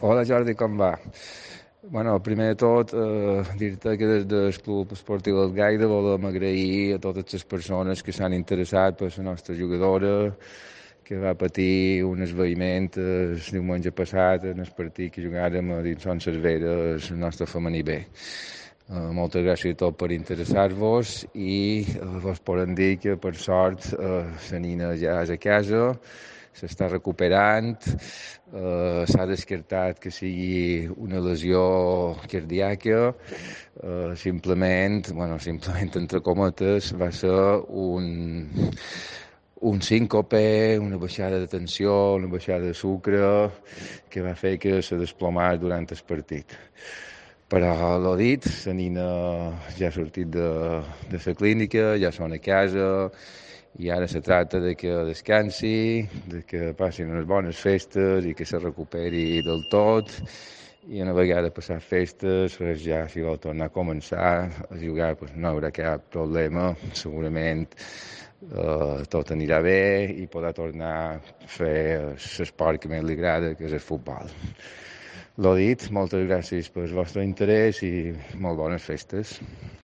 Hola Jordi, com va? Bueno, primer de tot, dir-te que des del Club Esportiu del Gaire volem agrair a totes les persones que s'han interessat per la nostra jugadora, que va patir un esvaïment el diumenge passat en el partit que jugàrem a dins Son Cervera, el nostre femení B. Moltes gràcies a tots per interessar-vos i vos podem dir que per sort la nina ja és a casa, s'està recuperant, s'ha descartat que sigui una lesió cardíaca, simplement entre cometes, va ser un síncope, una baixada de tensió, una baixada de sucre, que va fer que se desplomés durant el partit. Però l'ho dit, la nina ja ha sortit de la clínica, ja són a casa, i ara se tracta de que descansi, de que passin unes bones festes i que se recuperi del tot, i una vegada passat festes, pues ja si vol tornar a començar a jugar, pues no hi haurà cap problema, segurament tot anirà bé i podrà tornar a fer l'esport que més li agrada, que és el futbol. L'ho dit, moltes gràcies pel vostre interès i molt bones festes.